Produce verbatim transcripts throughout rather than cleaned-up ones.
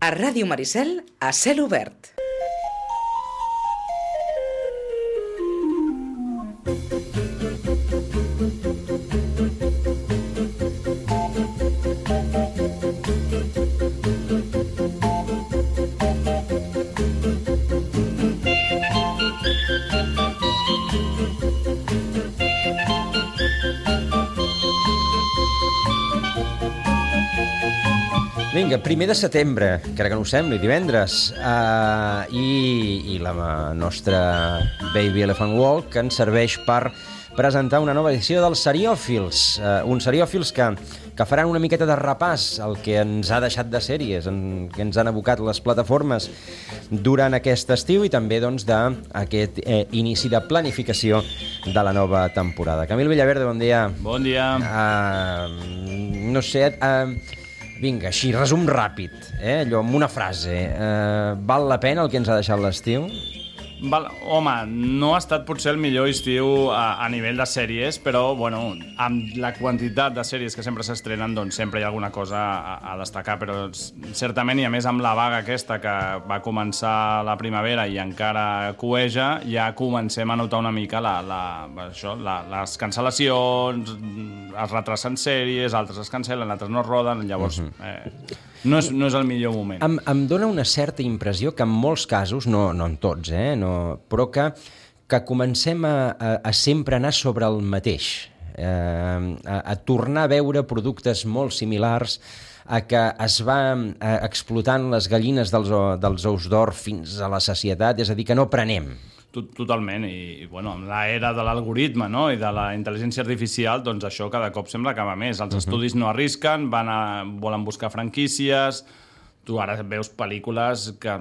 A Ràdio Maricel, a cel obert. Vinga, primer de setembre, crec que no ho sembli, divendres, uh, i, i la nostra Baby Elephant Walk ens serveix per presentar una nova edició dels Seriòfils, uh, uns Seriòfils que, que faran una miqueta de repàs al que ens ha deixat de sèries, en, que ens han abocat les plataformes durant aquest estiu i també doncs, d'aquest eh, inici de planificació de la nova temporada. Camil Villaverde, bon dia. Bon dia. Uh, no sé... Uh, Vinga, així, resum ràpid, eh? Allò, amb una frase. Eh, val la pena el que ens ha deixat l'estiu? Val, home, no ha estat potser el millor estiu a, a nivell de sèries, però, bueno, amb la quantitat de sèries que sempre s'estrenen, doncs sempre hi ha alguna cosa a, a destacar, però certament, i a més amb la vaga aquesta que va començar la primavera i encara cueja, ja comencem a notar una mica la, la, això, la, les cancel·lacions, es retracen sèries, altres es cancel·len, altres no es roden, llavors... Uh-huh. eh, No és, no és el millor moment. Em, em dóna una certa impressió que en molts casos, no, no en tots, eh, no, però que, que comencem a, a, a sempre anar sobre el mateix, eh, a, a tornar a veure productes molt similars, a que es va eh, explotant les gallines dels, dels ous d'or fins a la sacietat, és a dir, que no prenem. Totalment, i bueno, amb l'era de l'algoritme, no? I de la intel·ligència artificial, doncs això cada cop sembla que va més. Els uh-huh. estudis no arrisquen, van a, volen buscar franquícies, tu ara veus pel·lícules que,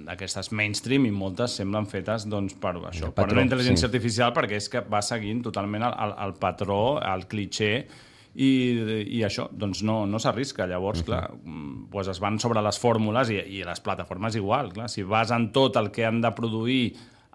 d'aquestes mainstream i moltes semblen fetes doncs, per això, patró, per una intel·ligència sí. artificial, perquè és que va seguint totalment el, el, el patró, el cliché, i, i això, doncs no, no s'arrisca. Llavors, uh-huh. clar, doncs es van sobre les fórmules i, i les plataformes igual. Clar. Si basen tot el que han de produir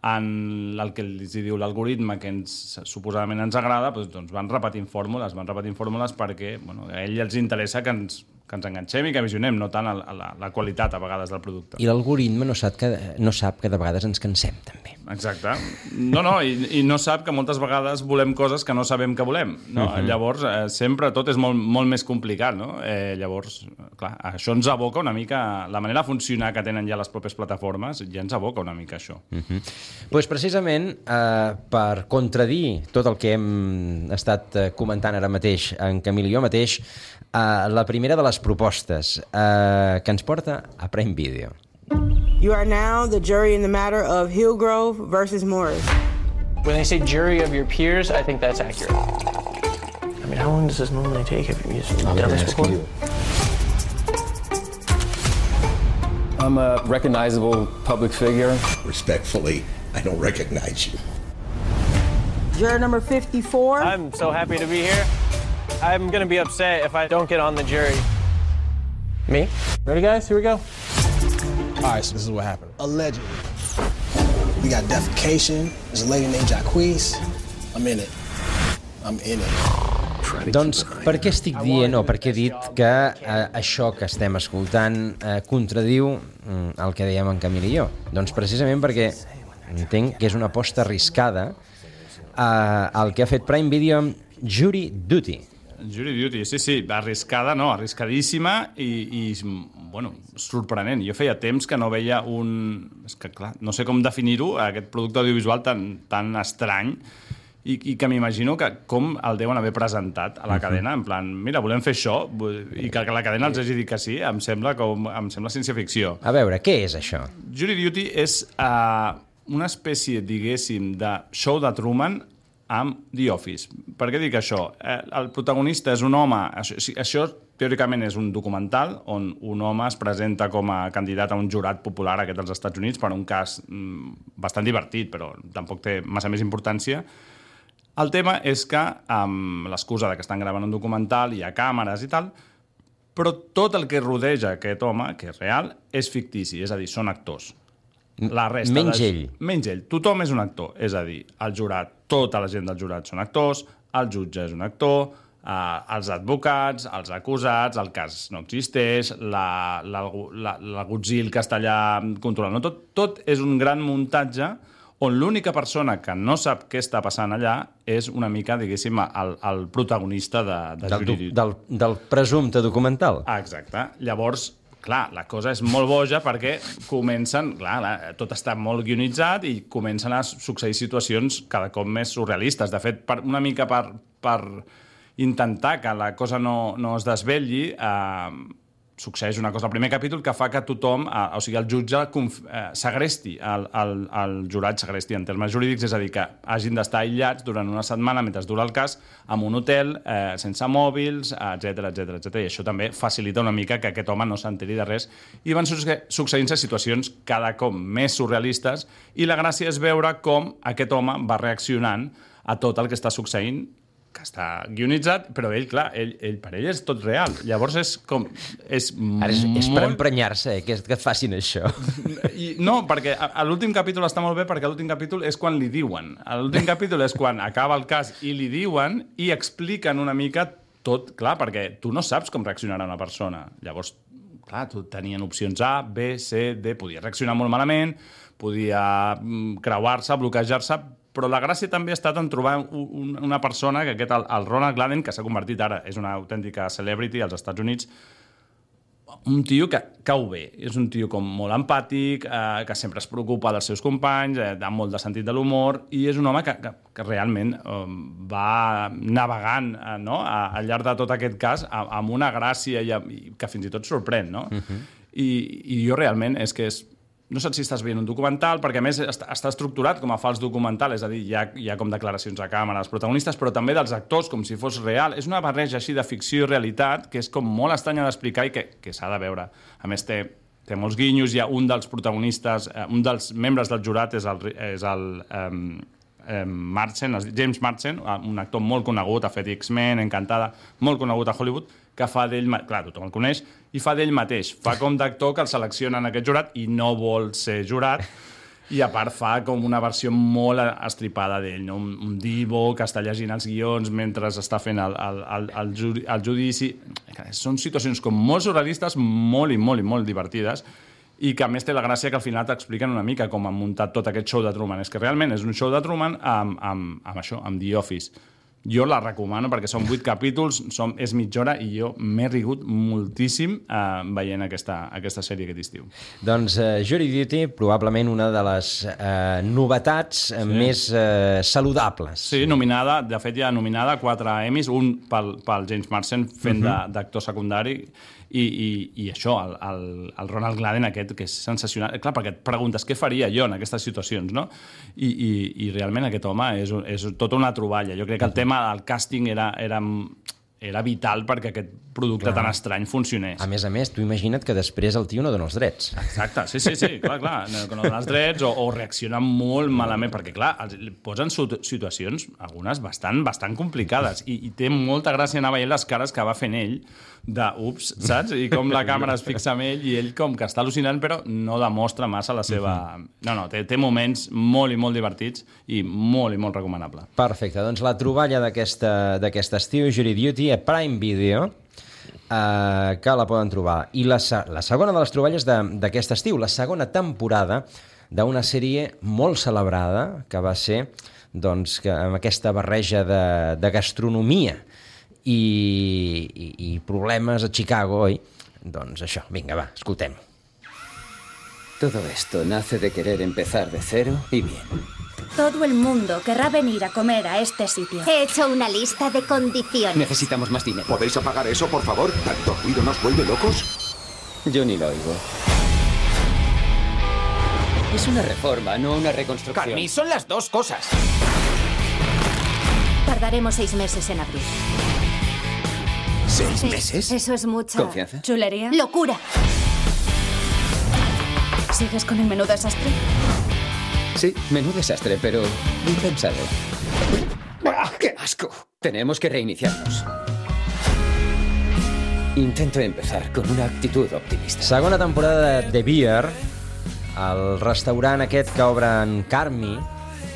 en el que els diu l'algoritme que ens, suposadament ens agrada, doncs, doncs van repetint fórmules, van repetint fórmules perquè bueno, a ell els interessa que ens, que ens enganxem i que visionem, no tant a la, la qualitat a vegades del producte. I l'algoritme no sap que, no sap que de vegades ens cansem, també. Exacte. No, no, i, i no sap que moltes vegades volem coses que no sabem que volem. No? Uh-huh. Llavors, eh, sempre tot és molt, molt més complicat. No? Eh, llavors, clar, això ens aboca una mica... La manera de funcionar que tenen ja les pròpies plataformes ja ens aboca una mica això. Uh-huh. Pues precisament, eh, per contradir tot el que hem estat comentant ara mateix en Camil i jo mateix, eh, la primera de les propostes eh, que ens porta a Prime Video. You are now the jury in the matter of Hillgrove versus Morris. When they say jury of your peers, I think that's accurate. I mean, how long does this normally take? Have you done this before? You. I'm a recognizable public figure. Respectfully, I don't recognize you. Juror number fifty-four. I'm so happy to be here. I'm going to be upset if I don't get on the jury. Me? Ready, guys? Here we go. All right, so this is what happened. Allegedly. We got defecation. There's a lady named Jacquees. I'm in it. I'm in it. Doncs per què estic dient o per què he dit que eh, això que estem escoltant eh, contradiu mm, el que dèiem en Camil i jo? Doncs precisament perquè entenc que és una aposta arriscada eh, el que ha fet Prime Video amb Jury Duty. Jury Duty, sí, sí, arriscada, no, arriscadíssima i, i bueno, sorprenent. Jo feia temps que no veia un... És que, clar, no sé com definir-ho, aquest producte audiovisual tan, tan estrany i, i que m'imagino que com el deuen haver presentat a la uh-huh. cadena, en plan, mira, volem fer això, i que, que la cadena els hagi dit que sí, em sembla, com, em sembla ciència-ficció. A veure, què és això? Jury Duty és uh, una espècie, diguéssim, de show de Truman amb The Office. Per què dic això? Eh, el protagonista és un home... Això, això teòricament és un documental on un home es presenta com a candidat a un jurat popular aquest dels Estats Units per un cas mm, bastant divertit, però tampoc té massa més importància. El tema és que, amb l'excusa de que estan gravant un documental, hi ha càmeres i tal, però tot el que rodeja aquest home, que és real, és fictici, és a dir, són actors. La resta menys de... ell. Menys ell. Tothom és un actor. És a dir, el jurat, tota la gent del jurat són actors, el jutge és un actor, Uh, els advocats, els acusats, el cas no existeix, la, la, la, l'agutzil que està allà controlant. No? Tot, tot és un gran muntatge on l'única persona que no sap què està passant allà és una mica, diguéssim, el, el protagonista de, de del, Jury Duty. Del, del presumpte documental. Ah, exacte. Llavors, clar, la cosa és molt boja perquè comencen, clar, tot està molt guionitzat i comencen a succeir situacions cada cop més surrealistes. De fet, per, una mica per... per intentar que la cosa no, no es desvetlli, eh, succeeix una cosa al primer capítol que fa que tothom, eh, o sigui, el jutge conf, eh, segresti, el, el, el jurat segresti en termes jurídics, és a dir, que hagin d'estar aïllats durant una setmana mentre dura el cas, en un hotel, eh, sense mòbils, etcètera, etcètera, etcètera. I això també facilita una mica que aquest home no s'enteri de res. I van succeint-se situacions cada cop més surrealistes i la gràcia és veure com aquest home va reaccionant a tot el que està succeint, que està guionitzat, però ell, clar, ell, ell, per ell és tot real. Llavors és com... És Ara és, és molt... per emprenyar-se, eh, que, que et facin això. I, no, perquè a, a l'últim capítol està molt bé, perquè a l'últim capítol és quan li diuen. A l'últim capítol és quan acaba el cas i li diuen i expliquen una mica tot, clar, perquè tu no saps com reaccionarà una persona. Llavors, clar, tu tenien opcions A, B, C, D, podia reaccionar molt malament, podia creuar-se, bloquejar-se, però la gràcia també ha estat en trobar un, una persona, que aquest, el, el Ronald Gladden, que s'ha convertit ara, és una autèntica celebrity als Estats Units, un tio que cau bé, és un tio com molt empàtic, eh, que sempre es preocupa dels seus companys, eh, amb molt de sentit de l'humor, i és un home que, que, que realment eh, va navegant eh, no? a, al llarg de tot aquest cas amb una gràcia i, i que fins i tot sorprèn, no? Uh-huh. I, I jo realment és que és no saps si estàs veient un documental, perquè a més està, està estructurat com a fals documental, és a dir, hi ha, hi ha com declaracions a càmera dels protagonistes, però també dels actors, com si fos real. És una barreja així de ficció i realitat que és com molt estranya d'explicar i que, que s'ha de veure. A més, té, té molts guinyos, hi ha un dels protagonistes, eh, un dels membres del jurat és el, és el um, um, Marsden, James Marsden, un actor molt conegut, ha fet X-Men, Encantada, molt conegut a Hollywood, que fa d'ell, clar, tothom el coneix, i fa d'ell mateix. Fa com d'actor que el selecciona en aquest jurat i no vol ser jurat, i a part fa com una versió molt estripada d'ell, no? un, un divo que està llegint els guions mentre està fent el, el, el, el, judi, el judici. Són situacions com molt surrealistes, molt i molt i molt divertides, i que a més té la gràcia que al final t'expliquen una mica com han muntat tot aquest show de Truman. És que realment és un show de Truman amb, amb, amb això, amb The Office. Jo la recomano perquè són vuit capítols, som, és mitja hora i jo m'he rigut moltíssim eh, veient aquesta, aquesta sèrie aquest estiu. Doncs uh, Jury Duty, probablement una de les uh, novetats sí. més uh, saludables. Sí, nominada, de fet ja nominada a quatre Emmys, un pel, pel James Marsden fent uh-huh. d'actor secundari, i, i, i això, el, el, el Ronald Gladden aquest, que és sensacional. Clar, perquè et preguntes què faria jo en aquestes situacions, no? I, i, i realment aquest home és, és tota una troballa. Jo crec que el tema del càsting era, era, era vital perquè aquest producte clar. Tan estrany funcionés. A més a més, tu imagina't que després el tio no dona els drets. Exacte, sí, sí, sí, clar, clar, no, no dona els drets o, o reacciona molt malament, perquè clar, els, posen situacions, algunes bastant, bastant complicades, i, i té molta gràcia anar veient les cares que va fent ell de ups, saps? I com la càmera es fixa en ell i ell com que està al·lucinant però no demostra massa la seva... No, no, té, té moments molt i molt divertits i molt i molt recomanable. Perfecte, doncs la troballa d'aquest estiu, Jury Duty, a Prime Video, eh, que la poden trobar. I la, la segona de les troballes d'aquest estiu, la segona temporada d'una sèrie molt celebrada que va ser doncs, que, amb aquesta barreja de, de gastronomia I, i, i problemes a Chicago, oi? Doncs això, vinga, va, escoltem. Todo esto nace de querer empezar de cero y bien. Todo el mundo querrá venir a comer a este sitio. He hecho una lista de condiciones. Necesitamos más dinero. ¿Podéis apagar eso, por favor? ¿Tanto ruido nos vuelve locos? Yo ni lo oigo. Es una reforma, no una reconstrucción. Carmi, son las dos cosas. Tardaremos seis meses en abrir. ¿Seis meses? Eso es mucha... ¿Confianza? ¿Chulería? ¡Locura! ¿Sigues con el menú desastre? Sí, menú desastre, pero bien pensado. ¡Ah, qué asco! Tenemos que reiniciarnos. Intento empezar con una actitud optimista. Segona temporada de The Beer, el restaurant aquest que obre en Carmi,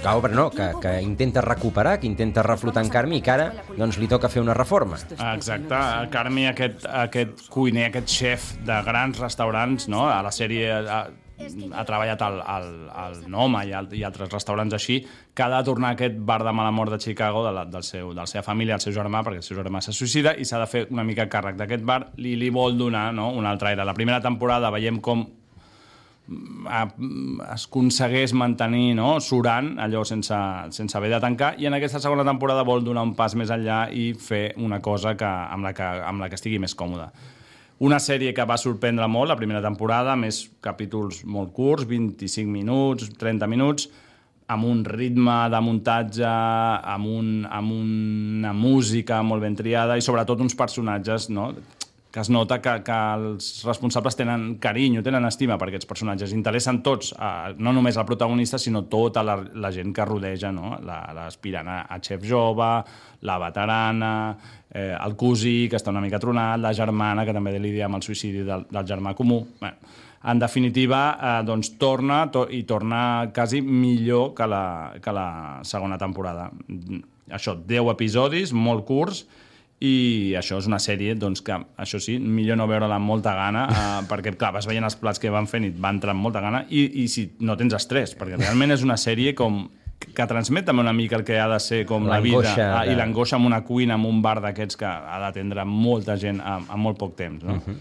que obre, no, que, que intenta recuperar, que intenta reflotar en Carmi i que ara doncs, li toca fer una reforma. Exacte, Carmi, aquest, aquest cuiner, aquest xef de grans restaurants, no? A la sèrie ha, ha treballat al, al, al Noma i, al, i altres restaurants així, que ha de tornar a aquest bar de mala mort de Chicago de la, del seu, de la seva família, el seu germà, perquè el seu germà se suïcida, i s'ha de fer una mica càrrec d'aquest bar, li, li vol donar, no? Un altre aire. La primera temporada veiem com es aconsegueix mantenir, no? Surant allò sense, sense haver de tancar, i en aquesta segona temporada vol donar un pas més enllà i fer una cosa que, amb, la que, amb la que estigui més còmode. Una sèrie que va sorprendre molt la primera temporada, més capítols molt curts, vint-i-cinc minuts, trenta minuts, amb un ritme de muntatge, amb, un, amb una música molt ben triada i sobretot uns personatges, no? Que es nota que, que els responsables tenen carinyo, tenen estima per aquests personatges. Interessen tots, eh, no només el protagonista, sinó tota la, la gent que rodeja, no? L'aspirant a, a xef jove, la veterana, eh, el cosí, que està una mica tronat, la germana, que també lidia amb el suïcidi del, del germà comú. Bé, en definitiva, eh, doncs torna to, i torna quasi millor que la, que la segona temporada. Això, deu episodis, molt curts, i això és una sèrie doncs, que, això sí, millor no veure-la amb molta gana, eh, perquè, clar, vas veient els plats que van fent i et va entrar amb molta gana, i, i si no tens estrès, perquè realment és una sèrie com que transmet també una mica el que ha de ser com la vida, ah, i l'angoixa amb una cuina, amb un bar d'aquests que ha d'atendre molta gent en molt poc temps, no? Uh-huh.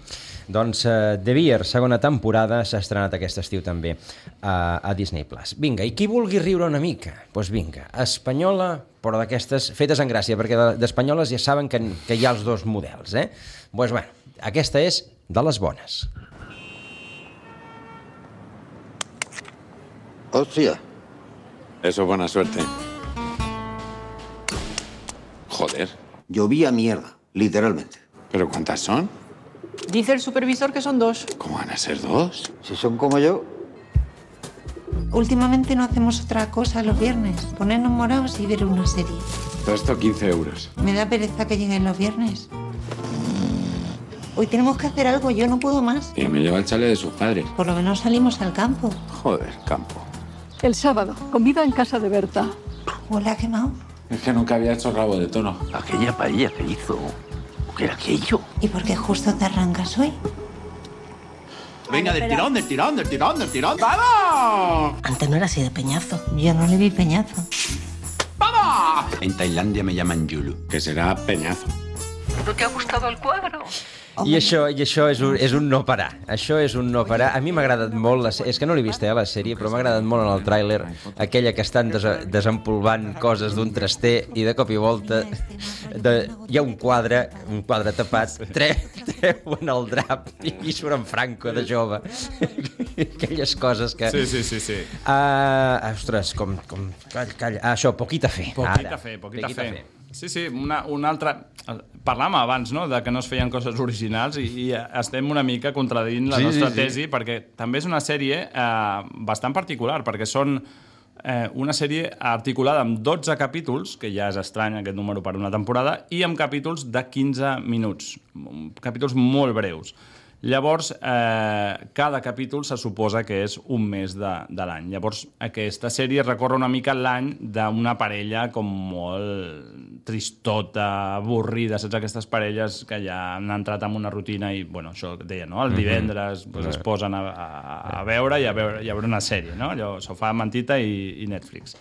Doncs uh, The Bear, segona temporada, s'ha estrenat aquest estiu també uh, a Disney Plus. Vinga, i qui vulgui riure una mica? Doncs pues vinga, espanyola, però d'aquestes fetes en gràcia, perquè d'espanyoles ja saben que, que hi ha els dos models, eh? Doncs pues, bueno, aquesta és de les bones. Hòstia. Eso es buena suerte. Joder. Llovía mierda, literalmente. ¿Pero cuántas son? Dice el supervisor que son dos. ¿Cómo van a ser dos? Si son como yo. Últimamente no hacemos otra cosa los viernes. Ponernos morados y ver una serie. Todo esto quince euros. Me da pereza que lleguen los viernes. Hoy tenemos que hacer algo, yo no puedo más. Y me lleva el chale de sus padres. Por lo menos salimos al campo. Joder, campo. El sábado, comida en casa de Berta. Huele a quemado. Es que nunca había hecho rabo de tono. Aquella paella que hizo. ¿Qué era aquello? ¿Y por qué justo te arrancas hoy? Venga, del tirón, del tirón, del tirón, del tirón. ¡Vamos! Antes no era así de peñazo. Yo no le vi peñazo. ¡Vamos! En Tailandia me llaman Yulu. Que será peñazo. ¿No te ha gustado el cuadro? I això, i això és, un, és un no parar. Això és un no parar. A mi m'ha agradat molt, la, és que no l'he vist, eh, la sèrie, però m'ha agradat molt en el tràiler aquella que estan des, desempolvant coses d'un traster i de cop i volta de, hi ha un quadre, un quadre tapat, tre, treuen el drap i, i surt en Franco de jove. Aquelles coses que... Sí, sí, sí. sí. Uh, ostres, com... com calla, calla. Ah, això, poquita fe. Poquita fe, poquita, poquita fe. fe. Sí, sí, una, una altra... Parlàvem abans, no?, de que no es feien coses originals i, i estem una mica contradint la sí, nostra sí, tesi, sí. Perquè també és una sèrie eh, bastant particular, perquè són eh, una sèrie articulada amb dotze capítols, que ja és estrany aquest número per una temporada, i amb capítols de quinze minuts, capítols molt breus. Llavors, eh, cada capítol se suposa que és un mes de, de l'any. Llavors, aquesta sèrie recorre una mica l'any d'una parella com molt tristota, avorrida, saps? Aquestes parelles que ja han entrat en una rutina i, bueno, això que deia, no? El divendres mm-hmm. pues, es posen a, a, a veure i a veure, i a veure una sèrie, no? Allò, sofà, mantita i, i Netflix.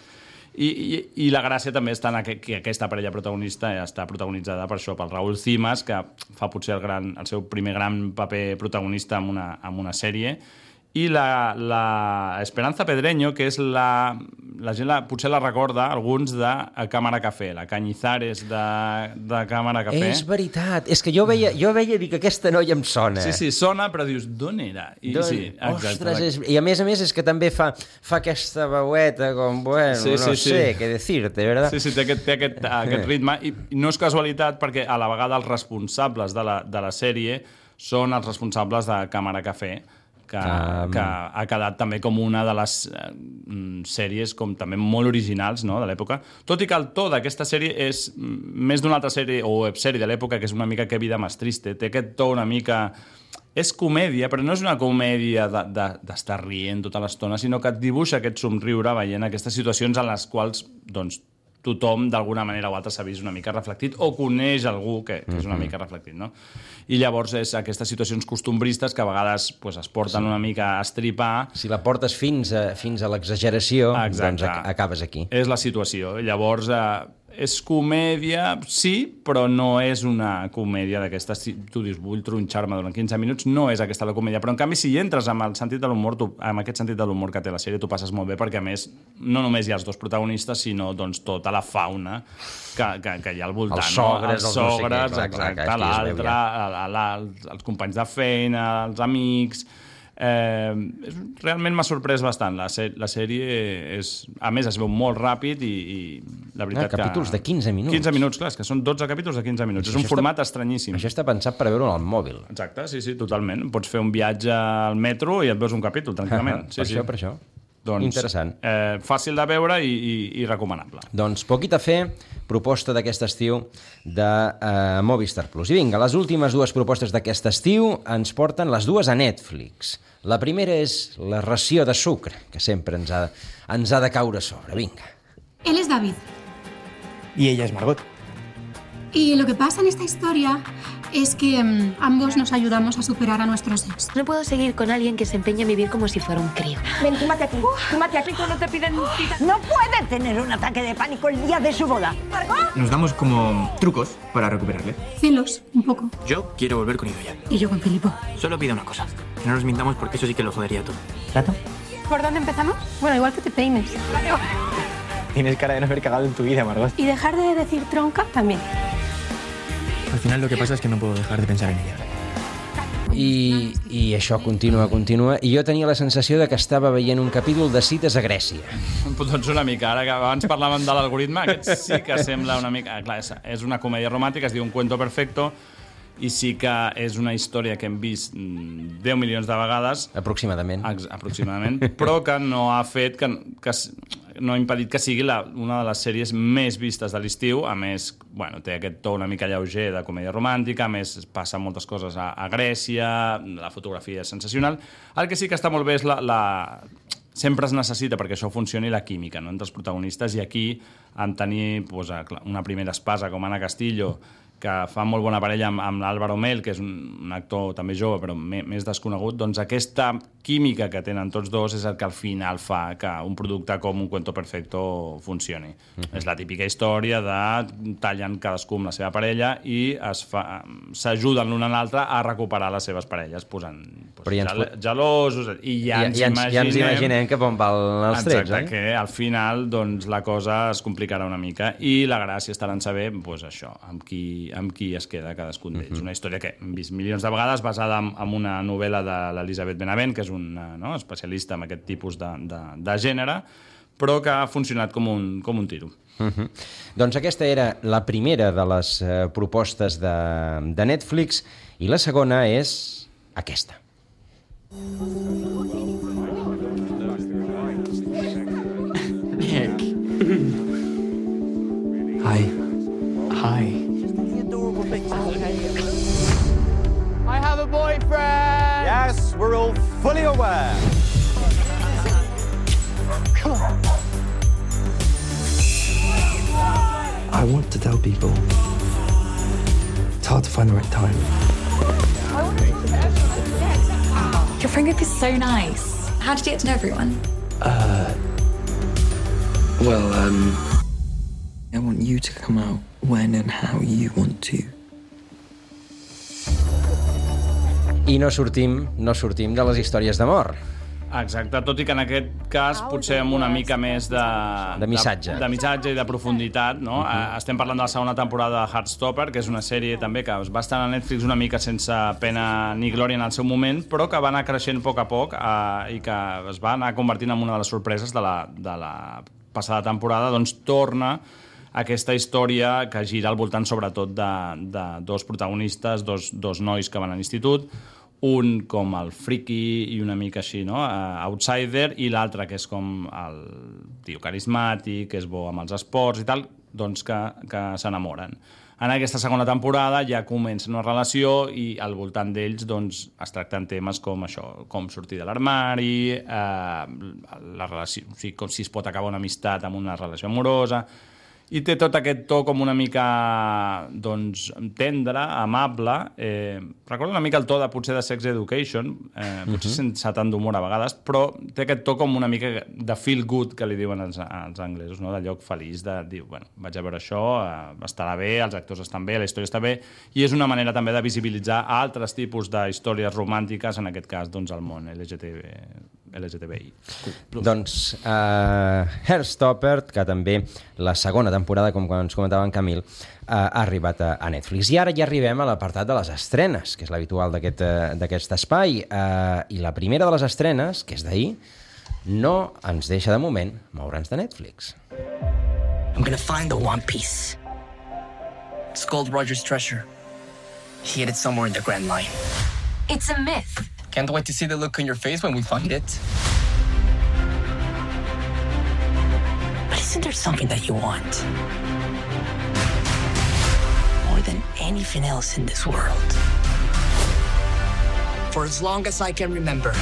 I, i, i la gràcia també està en que, que aquesta parella protagonista està protagonitzada per això, pel Raúl Cimas, que fa potser el, gran, el seu primer gran paper protagonista en una, en una sèrie, i la, la Esperanza Pedreño, que és la... La gent la, potser la recorda, alguns, de Càmera Café, la Cañizares de, de Càmera Café. És veritat, és que jo veia, jo veia dir que aquesta noia em sona. Sí, sí, sona, però dius, d'on era? I, Don... sí, exacte. Ostres, és... i a més a més és que també fa, fa aquesta veueta com, bueno, sí, sí, no sí. sé què dir-te, ¿verdad? Sí, sí, té aquest, té aquest, aquest ritme, i no és casualitat perquè a la vegada els responsables de la, de la sèrie són els responsables de Càmera Café, que, um... que ha quedat també com una de les eh, sèries com també molt originals, no?, de l'època. Tot i que el to d'aquesta sèrie és més d'una altra sèrie o websèrie de l'època, que és una mica Que vida más triste. Té aquest to una mica és comèdia, però no és una comèdia d'estar de, de, rient tota l'estona, sinó que et dibuixa aquest somriure veient aquestes situacions en les quals doncs, tothom d'alguna manera o altra s'ha vist una mica reflectit o coneix algú que, que és una mica reflectit, no? I llavors és aquestes situacions costumbristes que a vegades pues, es porten sí. una mica a estripar. Si la portes fins a, fins a l'exageració, doncs acabes aquí. És la situació. Llavors, eh, és comèdia, sí, però no és una comèdia d'aquestes... Tu dius, vull tronxar-me durant quinze minuts, no és aquesta la comèdia. Però, en canvi, si hi entres amb el sentit de l'humor, amb aquest sentit de l'humor que té la sèrie, tu passes molt bé, perquè, a més, no només hi ha els dos protagonistes, sinó doncs, tota la fauna que, que, que hi ha al voltant. Els sogres, no? els sogres, no sé exacte, l'altre, els companys de feina, els amics... Eh, realment m'ha sorprès bastant la, la sèrie és, a més es veu molt ràpid i, i la veritat ah, capítols que... de quinze minuts quinze minuts, clar, és que són dotze capítols de quinze minuts, és un format està, estranyíssim. Això està pensat per veure-ho al mòbil. Exacte, sí, sí, totalment, pots fer un viatge al metro i et veus un capítol tranquil·lament. sí, per sí. això, per això doncs, interessant. Eh, fàcil de veure i, i, i recomanable. Doncs poquit a fer, proposta d'aquest estiu de uh, Movistar Plus. I vinga, les últimes dues propostes d'aquest estiu ens porten les dues a Netflix. La primera és la ració de sucre, que sempre ens ha, ens ha de caure a sobre. Vinga. Él es David. Y ella es Margot. Y lo que pasa en esta historia es que um, ambos nos ayudamos a superar a nuestros ex. No puedo seguir con alguien que se empeña en vivir como si fuera un crío. Ven, túmate aquí. Túmate aquí cuando te piden cita. No puede tener un ataque de pánico el día de su boda. ¿Margot? Nos damos como trucos para recuperarle. Celos, un poco. Yo quiero volver con Idoia. Y yo con Filipo. Solo pido una cosa. Que no nos mintamos porque eso sí que lo jodería todo. ¿Trato? ¿Por dónde empezamos? Bueno, igual que te peines. Tienes cara de no haber cagado en tu vida, Margot. Y dejar de decir tronca también. Al final lo que pasa es que no puedo dejar de pensar en ella. I, i això continua, continua, i jo tenia la sensació de que estava veient un capítol de cites a Grècia. Doncs una mica, ara que abans parlàvem de l'algoritme, aquest sí que sembla una mica... Clar, és una comèdia romàntica, es diu Un cuento perfecto, i sí que és una història que hem vist deu milions de vegades. Aproximadament. Ex aproximadament, però que no ha fet... Que, que no ha impedit que sigui la, una de les sèries més vistes de l'estiu. A més, bueno, té aquest to una mica lleuger de comèdia romàntica, a més passa moltes coses a, a Grècia, la fotografia és sensacional. El que sí que està molt bé és la... la... Sempre es necessita, perquè això funcioni, la química, no?, entre els protagonistes, i aquí en tenir pues, una primera espasa com Ana Castillo, que fa molt bona parella amb, amb l'Álvaro Mel, que és un, un actor també jove, però me, més desconegut, doncs aquesta química que tenen tots dos és el que al final fa que un producte com Un cuento perfecto funcioni. Mm-hmm. És la típica història de tallen cadascú amb la seva parella i s'ajuden l'un a l'altre a recuperar les seves parelles, posant pues, ja gel gelosos, i ja, ja, ens, ja, ens, imaginem, ja ens imaginem cap on van els trets, exacte, eh? Que al final doncs, la cosa es complicarà una mica, i la gràcia estarà en saber pues, això, amb qui amb qui es queda cadascun d'ells. Uh-huh. Una història que hem vist milions de vegades, basada en, en una novel·la de l'Elisabeth Benavent, que és una no, especialista en aquest tipus de, de, de gènere, però que ha funcionat com un, com un tiro. Uh-huh. Doncs aquesta era la primera de les uh, propostes de, de Netflix, i la segona és aquesta. Nick. Hi. Hi. I have a boyfriend! Yes, we're all fully aware. Come on. I want to tell people. It's hard to find the right time. Your friend group is so nice. How did you get to know everyone? Uh, well, um, I want you to come out when and how you want to. I no sortim, no sortim de les històries d'amor. Exacte, tot i que en aquest cas potser amb una mica més de... De missatge. De, de missatge i de profunditat, no? Uh-huh. Estem parlant de la segona temporada de Heartstopper, que és una sèrie també que va estar a Netflix una mica sense pena ni glòria en el seu moment, però que va anar creixent a poc a poc eh, i que es va anar convertint en una de les sorpreses de la, de la passada temporada. Doncs torna aquesta història que gira al voltant sobretot de, de dos protagonistes, dos, dos nois que van a l'institut, un com el friki i una mica així, no? Uh, outsider, i l'altre que és com el tio carismàtic, que és bo amb els esports i tal, doncs que, que s'enamoren. En aquesta segona temporada ja comença una relació i al voltant d'ells doncs, es tracten temes com això, com sortir de l'armari, eh, la relació, o sigui, com si es pot acabar una amistat amb una relació amorosa, i té tot aquest to com una mica doncs, tendre, amable. Eh, recorda una mica el to de potser de Sex Education, eh, potser uh-huh. sense tant d'humor a vegades, però té aquest to com una mica de feel good, que li diuen els, els anglesos, no? De lloc feliç, de dir, bueno, vaig a veure això, eh, estarà bé, els actors estan bé, la història està bé, i és una manera també de visibilitzar altres tipus d'històries romàntiques, en aquest cas doncs, el món L G T B, L G T B I. Doncs uh, Heartstopper, que també la segona temporada, com ens comentava en Camil, uh, ha arribat a, a Netflix. I ara ja arribem a l'apartat de les estrenes, que és l'habitual d'aquest uh, d'aquest espai. Uh, I la primera de les estrenes, que és d'ahir, no ens deixa de moment moure'ns de Netflix. I'm gonna find the One Piece. It's Gold Roger's treasure. He hid it somewhere in the Grand Line. It's a myth. Can't wait to see the look on your face when we find it. But isn't there something that you want? More than anything else in this world. For as long as I can remember,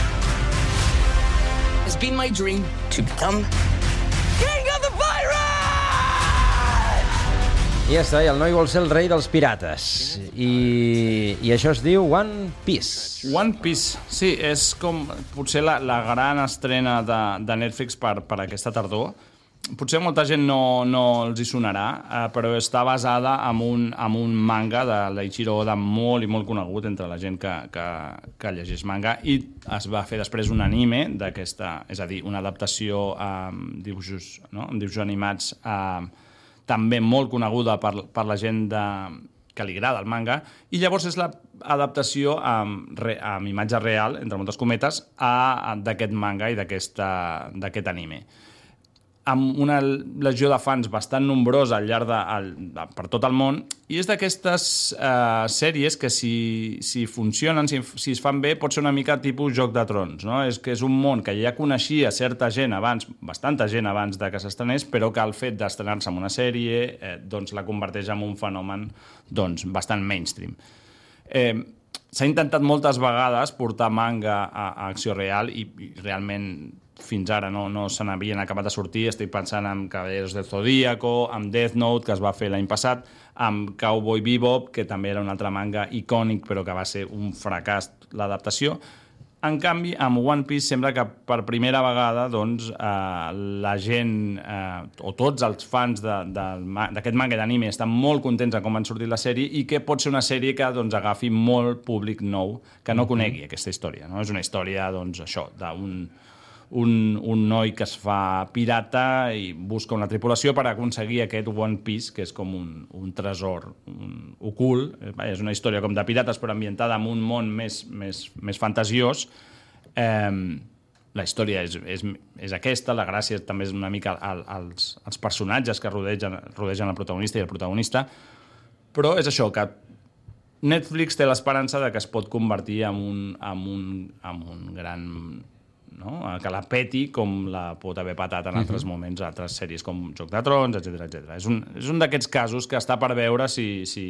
it's been my dream to become King of the Pirates! I ja està, i el noi vol ser el rei dels pirates. I, i això es diu One Piece. One Piece, sí, és com potser la, la gran estrena de, de Netflix per, per aquesta tardor. Potser molta gent no, no els hi sonarà, eh, però està basada en un, en un manga de l'Eiichiro Oda molt i molt conegut entre la gent que, que, que llegeix manga, i es va fer després un anime d'aquesta, és a dir, una adaptació amb dibuixos, no? amb dibuixos animats eh, també molt coneguda per, per la gent de, que li agrada el manga, i llavors és l'adaptació amb, re, amb imatge real, entre moltes cometes, d'aquest manga i d'aquest anime. Amb una legió de fans bastant nombrosa al llarg de, al, de, per tot el món, i és d'aquestes eh, sèries que si, si funcionen, si, si es fan bé, pot ser una mica tipus Joc de Trons, no? És que és un món que ja coneixia certa gent abans, bastanta gent abans de que s'estrenés, però que el fet d'estrenar-se en una sèrie eh, doncs la converteix en un fenomen doncs, bastant mainstream. Eh, S'ha intentat moltes vegades portar manga a, a acció real i, i realment fins ara no, no se n'havien acabat de sortir. Estic pensant en Caballeros del Zodíaco, amb Death Note, que es va fer l'any passat, amb Cowboy Bebop, que també era un altre manga icònic, però que va ser un fracàs l'adaptació. En canvi, amb One Piece sembla que per primera vegada doncs, eh, la gent, eh, o tots els fans d'aquest manga i d'anime estan molt contents de com han sortit la sèrie, i que pot ser una sèrie que doncs, agafi molt públic nou que no conegui aquesta història. No? És una història doncs, això, d'un Un, un noi que es fa pirata i busca una tripulació per aconseguir aquest One Piece, que és com un, un tresor un, ocult. És una història com de pirates, però ambientada en un món més, més, més fantasiós. Eh, la història és, és, és aquesta, la gràcia també és una mica al, als, als personatges que rodegen, rodegen el protagonista i el protagonista, però és això, que Netflix té l'esperança de que es pot convertir en un, en un, en un gran... no? Que la peti com la pot haver patat en altres uh-huh. moments, altres sèries com Joc de Trons, etcètera etcètera. És un, és un d'aquests casos que està per veure si, si,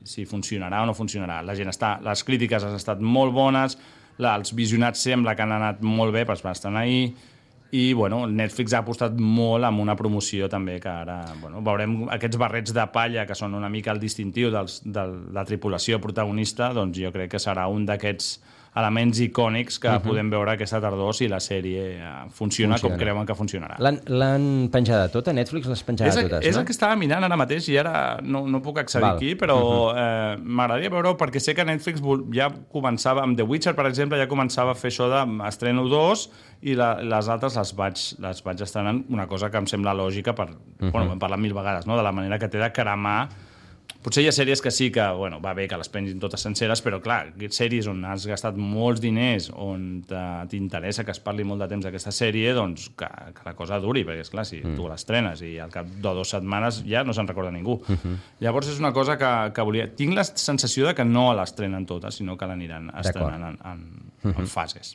si funcionarà o no funcionarà. La gent està, les crítiques han estat molt bones, la, els visionats sembla que han anat molt bé, però estan ahir, i bueno, Netflix ha apostat molt amb una promoció també que ara bueno, veurem aquests barrets de palla que són una mica el distintiu dels, de la tripulació protagonista, doncs jo crec que serà un d'aquests elements icònics que uh-huh. podem veure aquesta tardor si la sèrie funciona, funciona. com creuen que funcionarà. L'han penjada tota? Netflix les penjada és, totes, és no? el que estava mirant ara mateix i ara no, no puc accedir Val. aquí, però uh-huh. eh, m'agradaria veure perquè sé que Netflix ja començava, amb The Witcher, per exemple, ja començava a fer això d'estreno dos i la, les altres les vaig, les vaig estrenant, una cosa que em sembla lògica, per, uh-huh. bueno, hem parlat mil vegades, no? De la manera que té de cremar. Potser hi ha sèries que sí que, bueno, va bé que les pengin totes senceres, però clar, sèries on has gastat molts diners, on t'interessa que es parli molt de temps d'aquesta sèrie, doncs que, que la cosa duri, perquè esclar, si mm. tu l'estrenes i al cap de dues setmanes ja no se'n recorda ningú. Mm-hmm. Llavors és una cosa que, que volia... Tinc la sensació de que no l'estrenen totes, sinó que l'aniran estrenant en, en, mm-hmm. en fases.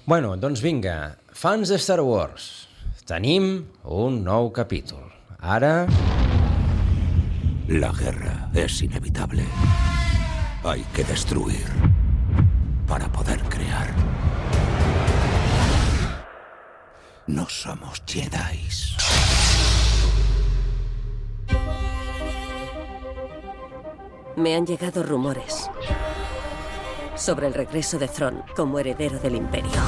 Bueno, doncs vinga, fans de Star Wars, tenim un nou capítol. Ara... La guerra es inevitable. Hay que destruir para poder crear. No somos Jedis. Me han llegado rumores sobre el regreso de Thrawn como heredero del Imperio.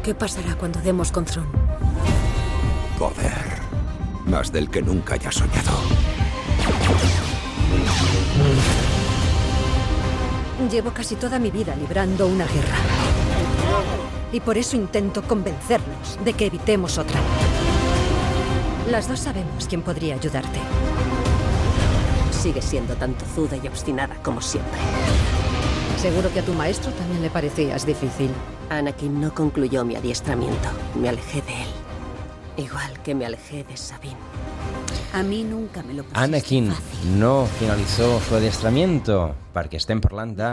¿Qué pasará cuando demos con Thrawn? Poder. Más del que nunca haya soñado. Llevo casi toda mi vida librando una guerra. Y por eso intento convencernos de que evitemos otra. Las dos sabemos quién podría ayudarte. Sigue siendo tan tozuda y obstinada como siempre. Seguro que a tu maestro también le parecías difícil. Anakin no concluyó mi adiestramiento. Me alejé de él. Igual que me alejé de Sabine. A mí nunca me lo pusiste Anakin fácil. no finalizó su adiestramiento perquè estem parlant de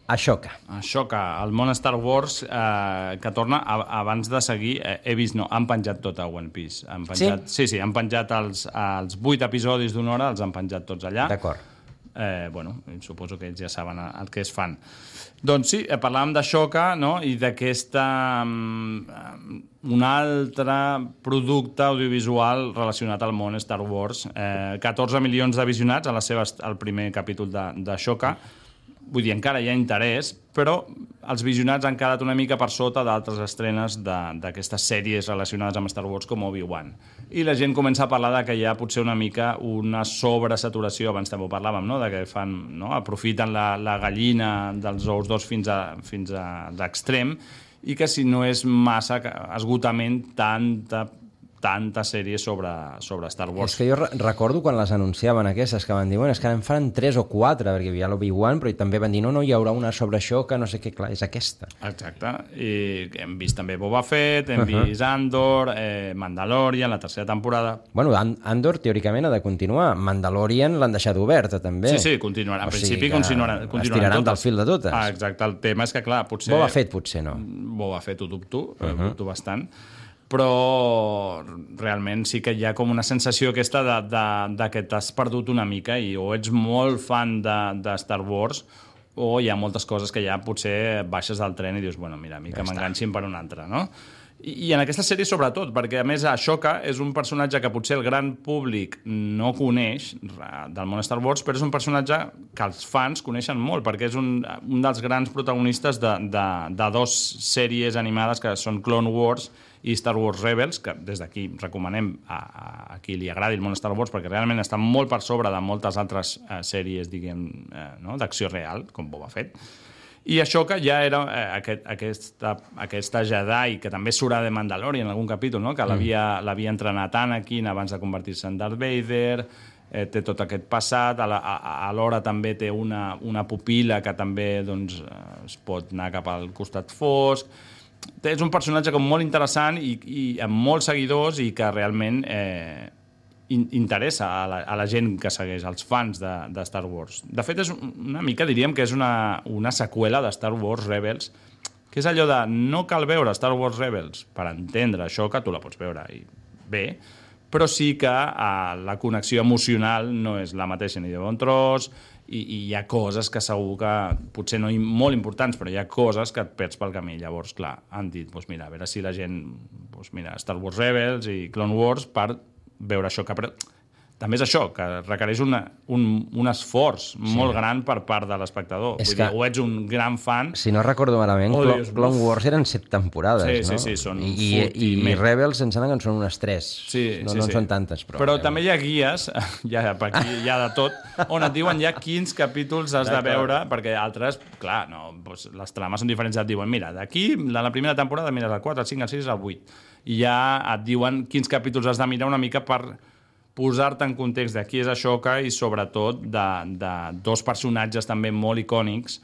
Ashoka. Ashoka, el món Star Wars eh, que torna a, abans de seguir, eh, he vist, no, han penjat tot a One Piece. Han penjat, sí? Sí, sí, han penjat els, els vuit episodis d'una hora, els han penjat tots allà. D'acord. Eh, bueno, suposo que ells ja saben el que es fan. Doncs sí, parlàvem d'Ashoka, no? I d'aquesta... Um, un altre producte audiovisual relacionat al món Star Wars. Eh, catorze milions de visionats a la seva, al primer capítol d'Ashoka. Vull dir, encara hi ha interès, però els visionats han quedat una mica per sota d'altres estrenes d'aquestes sèries relacionades amb Star Wars com Obi-Wan. I la gent comença a parlar de que hi ha potser una mica una sobresaturació, abans també ho parlàvem, no? De que fan, no? Aprofiten la, la gallina dels ous d'os fins a, fins a l'extrem, i que si no és massa esgotament tanta, tanta sèrie sobre, sobre Star Wars. És que jo recordo quan les anunciaven aquestes, que van dir, bueno, és que en fan tres o quatre, perquè hi havia l'Obi-Wan, però també van dir, no, no, hi haurà una sobre això, que no sé què, clar, és aquesta. Exacte, i hem vist també Boba Fett, hem uh-huh. vist Andor, eh, Mandalorian, la tercera temporada. Bueno, Andor teòricament ha de continuar, Mandalorian l'han deixat oberta també. Sí, sí, continuarà, en o principi sigui continuaran, continuaran es tiraran totes. Del fil de totes. Ah, exacte, el tema és que, clar, potser... Boba Fett potser no. Boba Fett ho dubto, uh-huh. ho dubto bastant, però realment sí que hi ha com una sensació aquesta de, de, de que t'has perdut una mica i o ets molt fan de, de Star Wars o hi ha moltes coses que ja potser baixes del tren i dius, bueno, mira, a mi que ja m'enganxin per una altra, no? I, I en aquesta sèrie sobretot, perquè a més Ashoka és un personatge que potser el gran públic no coneix del món Star Wars, però és un personatge que els fans coneixen molt, perquè és un, un dels grans protagonistes de, de, de dos sèries animades que són Clone Wars i Star Wars Rebels, que des d'aquí recomanem a, a qui li agradi el món Star Wars, perquè realment estan molt per sobre de moltes altres eh, sèries, diguem, eh, no? d'acció real, com Boba Fett. I Ashoka ja era eh, aquest, aquesta, aquesta Jedi, que també surt de Mandalorian en algun capítol, no? que l'havia mm. l'havia entrenat Anakin abans de convertir-se en Darth Vader, eh, té tot aquest passat, alhora també té una, una pupil·la que també doncs, es pot anar cap al costat fosc. És un personatge com molt interessant i, i amb molts seguidors i que realment eh, interessa a la, a la gent que segueix, als fans de, de Star Wars. De fet, és una mica, diríem que és una, una seqüela de Star Wars Rebels, que és allò de no cal veure Star Wars Rebels per entendre això, que tu la pots veure i bé, però sí que eh, la connexió emocional no és la mateixa ni de bon tros, i, i hi ha coses que segur que potser no molt importants, però hi ha coses que et perds pel camí. Llavors, clar, han dit, doncs mira, a veure si la gent, doncs mira, Star Wars Rebels i Clone Wars per veure això, que també és això, que requereix una, un, un esforç sí. molt gran per part de l'espectador. Vull dir, o ets un gran fan... Si no recordo malament, oh, Clone, Clone Wars eren set temporades, sí, no? Sí, sí, són... I, i, i, i Rebels em sembla que en són unes tres. Sí, no sí, no sí. en són tantes, però... Però també hi ha guies, ja, per aquí hi ha de tot, on et diuen ja quins capítols has de veure, perquè altres, clar, no, doncs les trames són diferents, et diuen, mira, d'aquí, la, la primera temporada, mires el quatre, el cinc, el sis, el vuit. I ja et diuen quins capítols has de mirar una mica per posar-te en context de qui és Ashoka i sobretot de, de dos personatges també molt icònics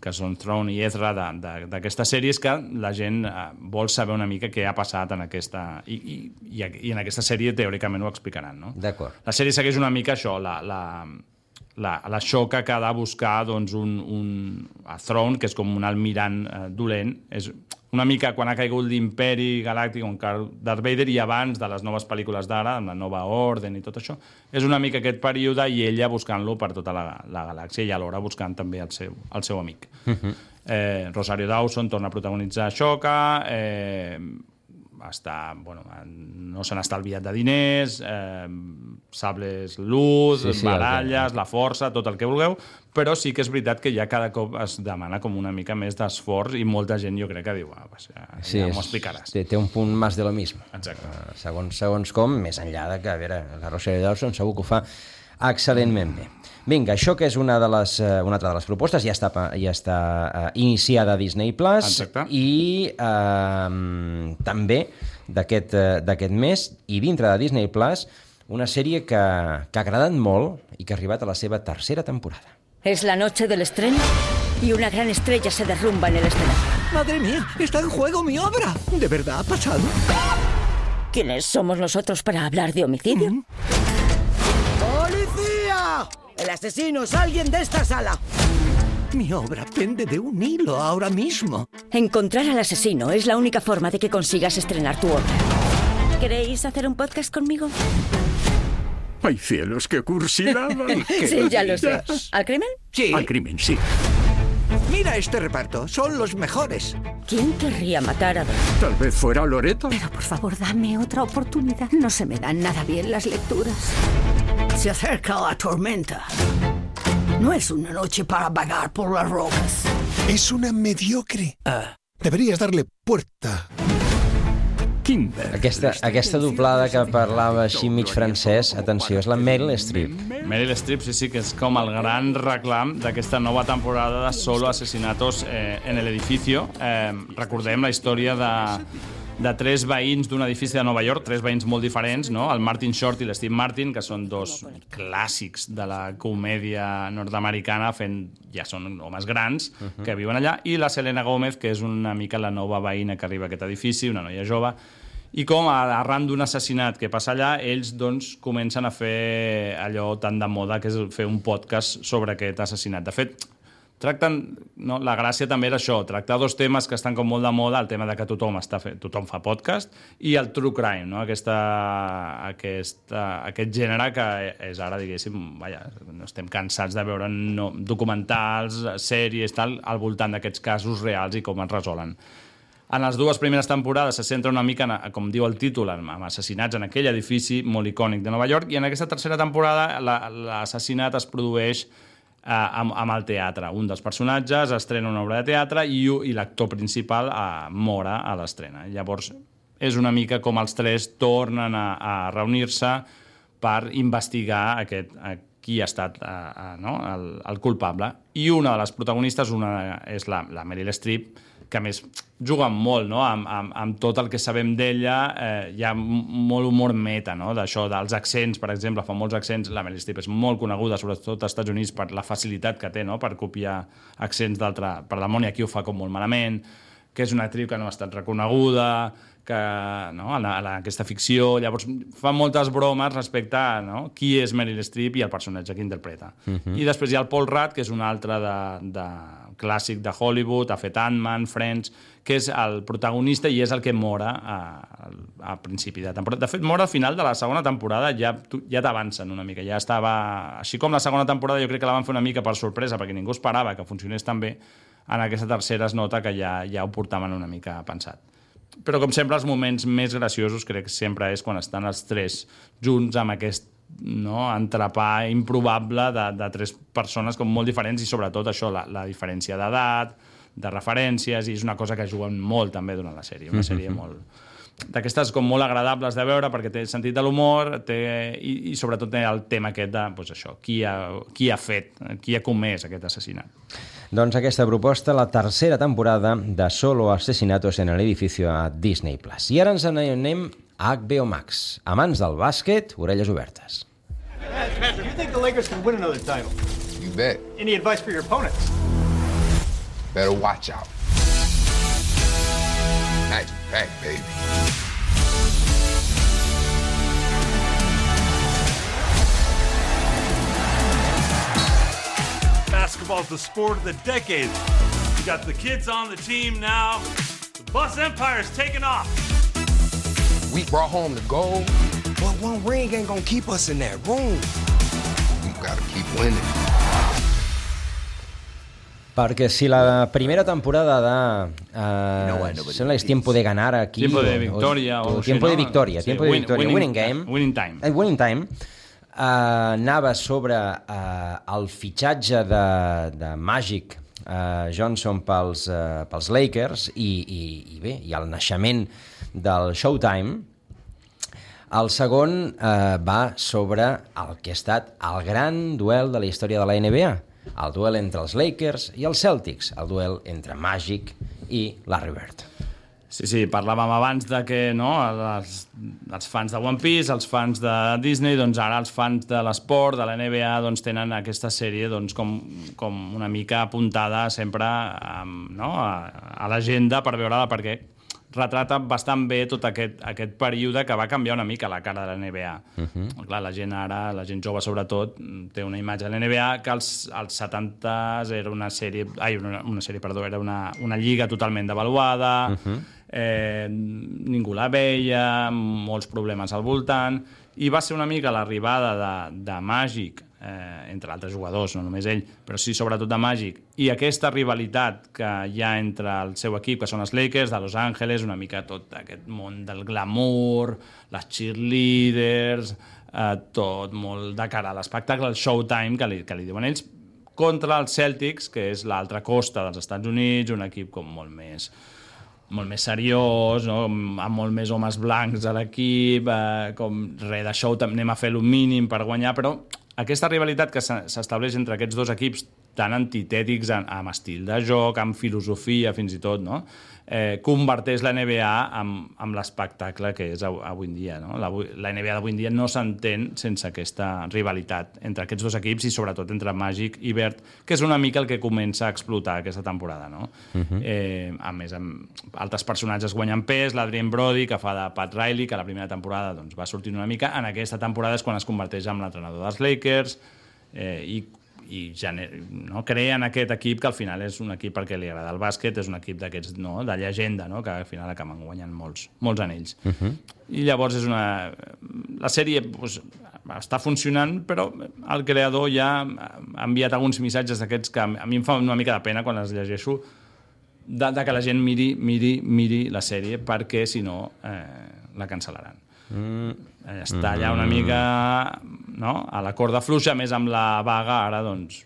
que són Thrawn i Ezra d'aquestes sèries que la gent eh, vol saber una mica què ha passat en aquesta... I, i, i en aquesta sèrie teòricament ho explicaran, no? D'acord. La sèrie segueix una mica això, la... la La, la Ashoka que ha de buscar doncs, un, un, a Thrawn, que és com un almirant eh, dolent, és, una mica quan ha caigut l'imperi galàctic on Darth Vader i abans de les noves pel·lícules d'ara, amb la nova orden i tot això, és una mica aquest període i ella buscant-lo per tota la, la galàxia i alhora buscant també el seu, el seu amic. Uh-huh. eh, Rosario Dawson torna a protagonitzar Ahsoka, eh, està, bueno, no s'han estalviat de diners, eh, sables luz, sí, sí, baralles, la força, tot el que vulgueu, però sí que és veritat que ja cada cop es demana com una mica més d'esforç i molta gent jo crec que diu, ah, pues ja, sí, ja m'ho explicaràs. Té, té un punt més de lo mismo. Exacte. Uh, segons, segons com, més enllà de que, a veure, la Rosario Dawson segur que ho fa excel·lentment bé. Vinga, això que és una, de les, una altra de les propostes, ja està, ja està uh, iniciada a Disney Plus. Exacte. I uh, també d'aquest uh, mes, i dintre de Disney Plus, una sèrie que, que ha agradat molt i que ha arribat a la seva tercera temporada. Es la noche del estreno y una gran estrella se derrumba en el escenario. ¡Madre mía! ¡Está en juego mi obra! ¿De verdad ha pasado? ¿Quiénes somos nosotros para hablar de homicidio? ¿Mm? ¡Policía! ¡El asesino es alguien de esta sala! Mi obra pende de un hilo ahora mismo. Encontrar al asesino es la única forma de que consigas estrenar tu obra. ¿Queréis hacer un podcast conmigo? ¡Ay, cielos, qué cursilada! Sí, ya lo sé. ¿Al crimen? Sí. Al crimen, sí. Mira este reparto, son los mejores. ¿Quién querría matar a dos? Tal vez fuera Loreto. Pero por favor, dame otra oportunidad. No se me dan nada bien las lecturas. Se acerca la tormenta. No es una noche para vagar por las rocas. Es una mediocre. Ah. Deberías darle puerta. Aquesta, aquesta doblada que parlava així mig francès, atenció, és la Meryl Streep. Meryl Streep, sí, sí, que és com el gran reclam d'aquesta nova temporada de Solo Asesinatos eh, en el Edificio. Eh, recordem la història de, de tres veïns d'un edifici de Nova York, tres veïns molt diferents, no? El Martin Short i l'Steve Martin, que són dos clàssics de la comèdia nord-americana, fent, ja són homes grans, uh-huh. que viuen allà, i la Selena Gomez, que és una mica la nova veïna que arriba a aquest edifici, una noia jove, i com arran d'un assassinat que passa allà, ells doncs comencen a fer allò tan de moda que és fer un podcast sobre aquest assassinat. De fet, tracten, no, la gràcia també era això, tractar dos temes que estan com molt de moda, el tema de que tothom, està fe, tothom fa podcast, i el true crime, no? Aquesta, aquesta, aquest gènere que és ara, diguéssim, vaja, no estem cansats de veure no, documentals, sèries, tal, al voltant d'aquests casos reals i com es resolen. En les dues primeres temporades se centra una mica, en, com diu el títol, amb assassinats en aquell edifici molt icònic de Nova York, i en aquesta tercera temporada l'assassinat es produeix eh, amb, amb el teatre. Un dels personatges estrena una obra de teatre i, i l'actor principal eh, mor a l'estrena. Llavors, és una mica com els tres tornen a, a reunir-se per investigar aquest, a, qui ha estat a, a, no? el, el culpable. I una de les protagonistes una, és la, la Meryl Streep, que a més juguen molt, no? amb, amb, amb tot el que sabem d'ella, eh, hi ha molt humor meta, no? D'això, dels accents, per exemple, fa molts accents, la Meryl Streep és molt coneguda, sobretot als Estats Units, per la facilitat que té, no? Per copiar accents d'altra... Per la Mònia aquí ho fa com molt malament, que és una actriu que no ha estat reconeguda, que, no? a, la, a la, aquesta ficció, llavors fa moltes bromes respecte a no? qui és Meryl Streep i el personatge que interpreta. Uh-huh. I després hi ha el Paul Rudd, que és un altre de... de clàssic de Hollywood, ha fet Ant-Man, Friends, que és el protagonista i és el que mora a, a principi de temporada. De fet, mora al final de la segona temporada, ja, ja t'avancen una mica, ja estava... Així com la segona temporada jo crec que la van fer una mica per sorpresa, perquè ningú esperava que funcionés tan bé, en aquesta tercera es nota que ja, ja ho portaven una mica pensat. Però, com sempre, els moments més graciosos crec que sempre és quan estan els tres junts amb aquest no? entrepà improbable de, de tres persones com molt diferents i sobretot això, la, la diferència d'edat, de referències, i és una cosa que juguen molt també durant la sèrie, una sèrie molt d'aquestes com molt agradables de veure perquè té sentit de l'humor té, i, i sobretot té el tema aquest de pues això, qui, ha, qui ha fet, qui ha comès aquest assassinat. Doncs aquesta proposta, la tercera temporada de Solo Asesinatos en el Edificio a Disney Plus. I ara ens anem a H B O Max. Amants del bàsquet, orelles obertes. Do you think the Lakers can win another title? You bet. Any advice for your opponents? Better watch out. Magic back, baby. Basketball's the sport of the decade. You got the kids on the team now. The Boss Empire's taking off. We brought home the gold, but one ring ain't gonna keep us in that room. We gotta keep winning. Perquè si la primera temporada de... Uh, sembla que és Tiempo de Ganar aquí... Tiempo de Victoria. O, o, o Tiempo de Victoria, sí, Tiempo de win, Victoria, winning, Winning Game. Winning Time. El Winning Time uh, anava sobre uh, el fitxatge de, de Magic uh, Johnson pels, uh, pels Lakers i, i, i bé, i el naixement del Showtime. El segon uh, va sobre el que ha estat el gran duel de la història de la N B A, el duel entre els Lakers i els Celtics, el duel entre Magic i Larry Bird. Sí, sí, parlàvem abans de que no, els, els fans de One Piece, els fans de Disney, doncs ara els fans de l'esport, de la N B A, doncs tenen aquesta sèrie doncs, com, com una mica apuntada sempre um, no, a, a l'agenda per veure-la, perquè retrata bastant bé tot aquest, aquest període que va canviar una mica la cara de la N B A. Uh-huh. Clar, la gent ara, la gent jove sobretot, té una imatge de la N B A que als, als setantes era una sèrie, ai, una, una sèrie, perdó, era una, una lliga totalment devaluada, uh-huh. eh, ningú la veia, molts problemes al voltant, i va ser una mica l'arribada de, de Magic, eh, entre altres jugadors, no només ell, però sí sobretot de Magic, i aquesta rivalitat que hi ha entre el seu equip, que són els Lakers, de Los Angeles, una mica tot aquest món del glamour, les cheerleaders, eh, tot molt de cara a l'espectacle, el Showtime, que li, que li diuen ells, contra els Celtics, que és l'altra costa dels Estats Units, un equip com molt més molt més seriós, no? Amb molt més homes blancs a l'equip, eh, com res de show, anem a fer el mínim per guanyar, però aquesta rivalitat que s'estableix entre aquests dos equips tan antitètics amb estil de joc, amb filosofia fins i tot, no? eh, converteix la N B A amb, amb l'espectacle que és avui en dia. No? La, la N B A d'avui en dia no s'entén sense aquesta rivalitat entre aquests dos equips i sobretot entre Magic i Bird, que és una mica el que comença a explotar aquesta temporada. No? Uh-huh. eh, a més, amb altres personatges guanyen pes, l'Adrien Brody, que fa de Pat Riley, que a la primera temporada doncs, va sortir una mica. En aquesta temporada és quan es converteix en l'entrenador dels Lakers eh, i i gener... no? creen aquest equip que al final és un equip perquè li agrada el bàsquet, és un equip d'aquests, no? de llegenda, no? que al final acaben guanyant molts, molts anells. Uh-huh. I llavors és una... La sèrie pues, està funcionant, però el creador ja ha enviat alguns missatges d'aquests que a mi em fa una mica de pena quan els llegeixo, de, de que la gent miri, miri, miri la sèrie, perquè si no eh, la cancel·laran. Mm. Està allà una mica no? a la corda fluixa, més amb la vaga ara doncs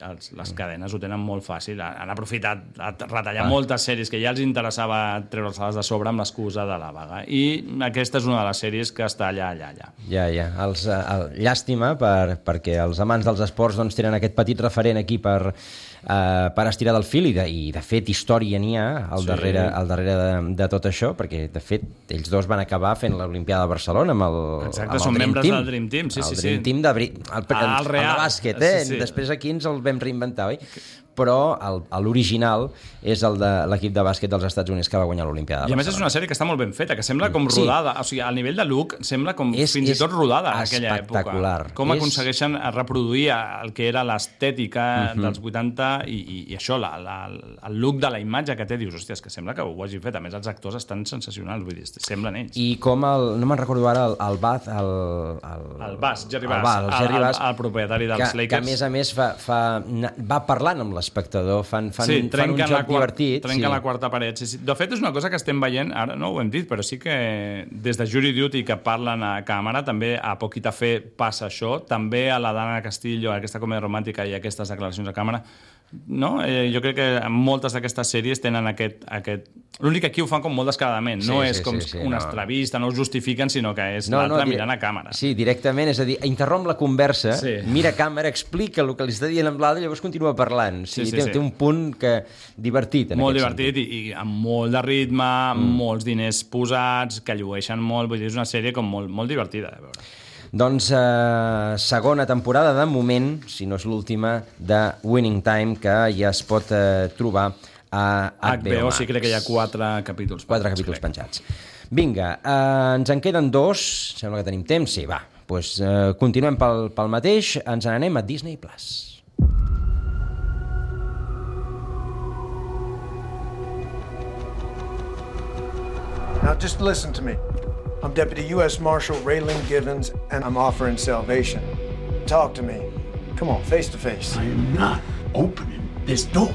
els, les cadenes ho tenen molt fàcil, han aprofitat a retallar ah. moltes sèries que ja els interessava treure-les de sobre amb l'excusa de la vaga, i aquesta és una de les sèries que està allà, allà, allà. Ja, ja, els, el, llàstima per, perquè els amants dels esports doncs, tenen aquest petit referent aquí per, uh, per estirar del fil, i de, i de fet història n'hi ha al sí. darrere, al darrere de, de tot això, perquè de fet ells dos van acabar fent l'Olimpiada de Barcelona amb el, Exacte, amb el són Dream membres Team. del Dream Team, sí, el sí, Dream sí. Team de, el, el, ah, el, real. el de bàsquet, eh? Sí, sí. Després aquí ens el vam reinventar, oi? Però l'original és el de l'equip de bàsquet dels Estats Units que va guanyar l'Olimpiada de Barcelona. I a més és una sèrie que està molt ben feta, que sembla com rodada, sí. o sigui, al nivell de look sembla com és, fins i tot rodada en aquella època. Com és... aconsegueixen reproduir el que era l'estètica uh-huh. dels vuitanta i, i, i això, la, la, el look de la imatge que té, dius, hòstia, és que sembla que ho hagin fet. A més, els actors estan sensacionals, vull dir, semblen ells. I com el, no me'n recordo ara, el, el Bath, el... El, el Bass, Jerry Bass, el, Bass, el, Jerry Bass el, el propietari dels que, Lakers. Que a més a més fa, fa, va parlant amb l'espectador, fan, fan, sí, fan un joc divertit. Trenquen sí. la quarta paret. Sí, sí. De fet, és una cosa que estem veient, ara no ho hem dit, però sí que des de Jury Duty, que parlen a càmera, també a Poquita Fe passa això, també a la Dana Castillo, aquesta comèdia romàntica i aquestes declaracions a càmera, no? Eh, jo crec que moltes d'aquestes sèries tenen aquest... aquest... L'únic que aquí ho fan com molt descaradament, sí, no és sí, com sí, sí, una no. entrevista, no ho justifiquen, sinó que és no, l'altre no, mirant a càmera. Sí, directament, és a dir, interromp la conversa, sí. mira a càmera, explica el que li està dient amb l'altre i llavors continua parlant. Sí, sí, sí, té, sí. té un punt que divertit en molt aquest divertit i, i amb molt de ritme, mm. molts diners posats, que llueixen molt, vull dir, és una sèrie com molt, molt divertida de veure. Doncs eh, segona temporada, de moment, si no és l'última, de Winning Time, que ja es pot eh, trobar a H B O Max. Sí, crec que hi ha quatre capítols. Quatre capítols crec. penjats. Vinga, eh, ens en queden dos, sembla que tenim temps, sí, va. Doncs eh, continuem pel, pel mateix, ens n'anem a Disney Plus. Now just listen to me. I'm Deputy U S Marshal Raylan Givens, and I'm offering salvation. Talk to me. Come on, face to face. I am not opening this door.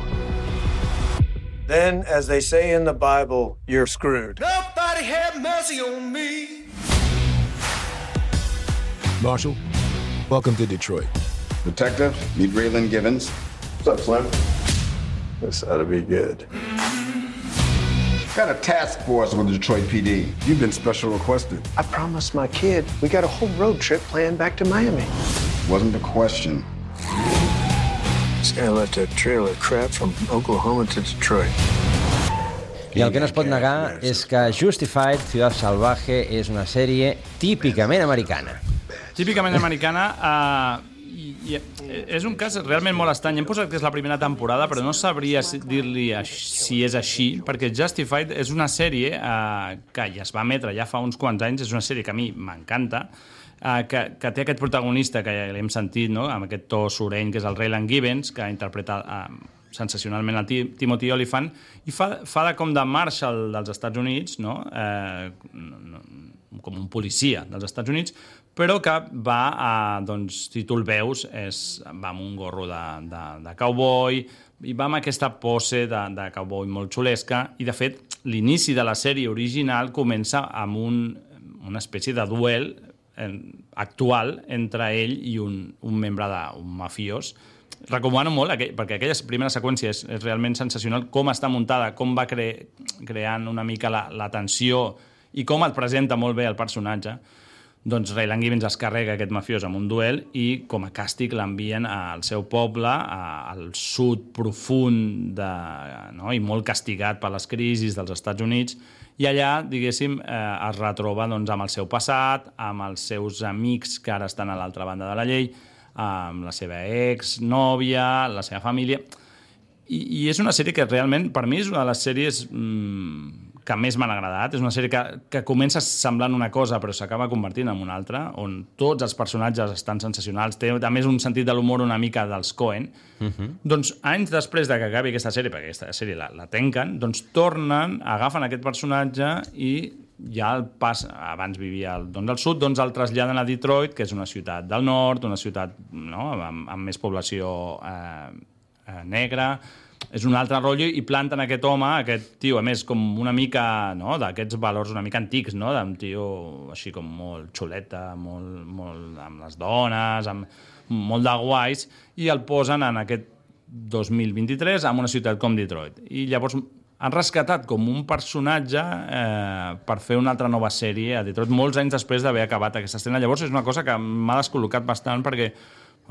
Then, as they say in the Bible, you're screwed. Nobody have mercy on me. Marshal, welcome to Detroit. Detective, meet Raylan Givens. What's up, Slim? This ought to be good. Got a task force with the Detroit P D. You've been special requested. I promised my kid we got a whole road trip planned back to Miami. Wasn't a question. This guy left a trail of crap from Oklahoma to Detroit. I el que no es pot negar és que Justified, Ciudad Salvaje, és una sèrie típicament americana. Típicament americana, uh, i, i és un cas realment molt estrany. Hem posat que és la primera temporada, però no sabria dir-li si és així, perquè Justified és una sèrie uh, que ja es va emetre ja fa uns quants anys, és una sèrie que a mi m'encanta, uh, que, que té aquest protagonista que ja l'hem sentit, no?, amb aquest to soreny, que és el Raylan Givens, que interpreta uh, sensacionalment el Timothy Olyphant, i fa, fa de com de Marshall dels Estats Units, no? Eh, no, com un policia dels Estats Units, però que va a, doncs, si tu el veus, és, va amb un gorro de, de, de cowboy, i va amb aquesta pose de, de cowboy molt xulesca, i de fet, l'inici de la sèrie original comença amb un, una espècie de duel eh, actual entre ell i un, un membre d'un mafiós. Recomano molt, aquell, perquè aquella primera seqüència és, és realment sensacional, com està muntada, com va cre creant una mica la, la tensió i com et presenta molt bé el personatge. Doncs Raylan Givens es carrega aquest mafiós amb un duel i com a càstig l'envien al seu poble, a, al sud profund de, no? I molt castigat per les crisis dels Estats Units, i allà, diguéssim, eh, es retroba doncs, amb el seu passat, amb els seus amics que ara estan a l'altra banda de la llei, amb la seva ex-nòvia, la seva família. I, I és una sèrie que realment, per mi, és una de les sèries mmm, que més m'han agradat. És una sèrie que, que comença semblant una cosa, però s'acaba convertint en una altra, on tots els personatges estan sensacionals. Té, a més, un sentit de l'humor una mica dels Coen. Uh-huh. Doncs, anys després de que acabi aquesta sèrie, perquè aquesta sèrie la, la tanquen, doncs tornen, agafen aquest personatge i ja el pas, abans vivia al, doncs al sud, doncs el traslladen a Detroit, que és una ciutat del nord, una ciutat, no?, amb, amb més població eh, eh, negra. És un altre rotllo, i planten aquest home, aquest tio, a més, com una mica, no?, d'aquests valors una mica antics, no?, d'un tio així com molt xuleta, molt, molt amb les dones, amb molt de guais, i el posen en aquest dos mil vint-i-tres en una ciutat com Detroit. I llavors han rescatat com un personatge eh, per fer una altra nova sèrie a Detroit, molts anys després d'haver acabat aquesta estrena. Llavors és una cosa que m'ha descol·locat bastant, perquè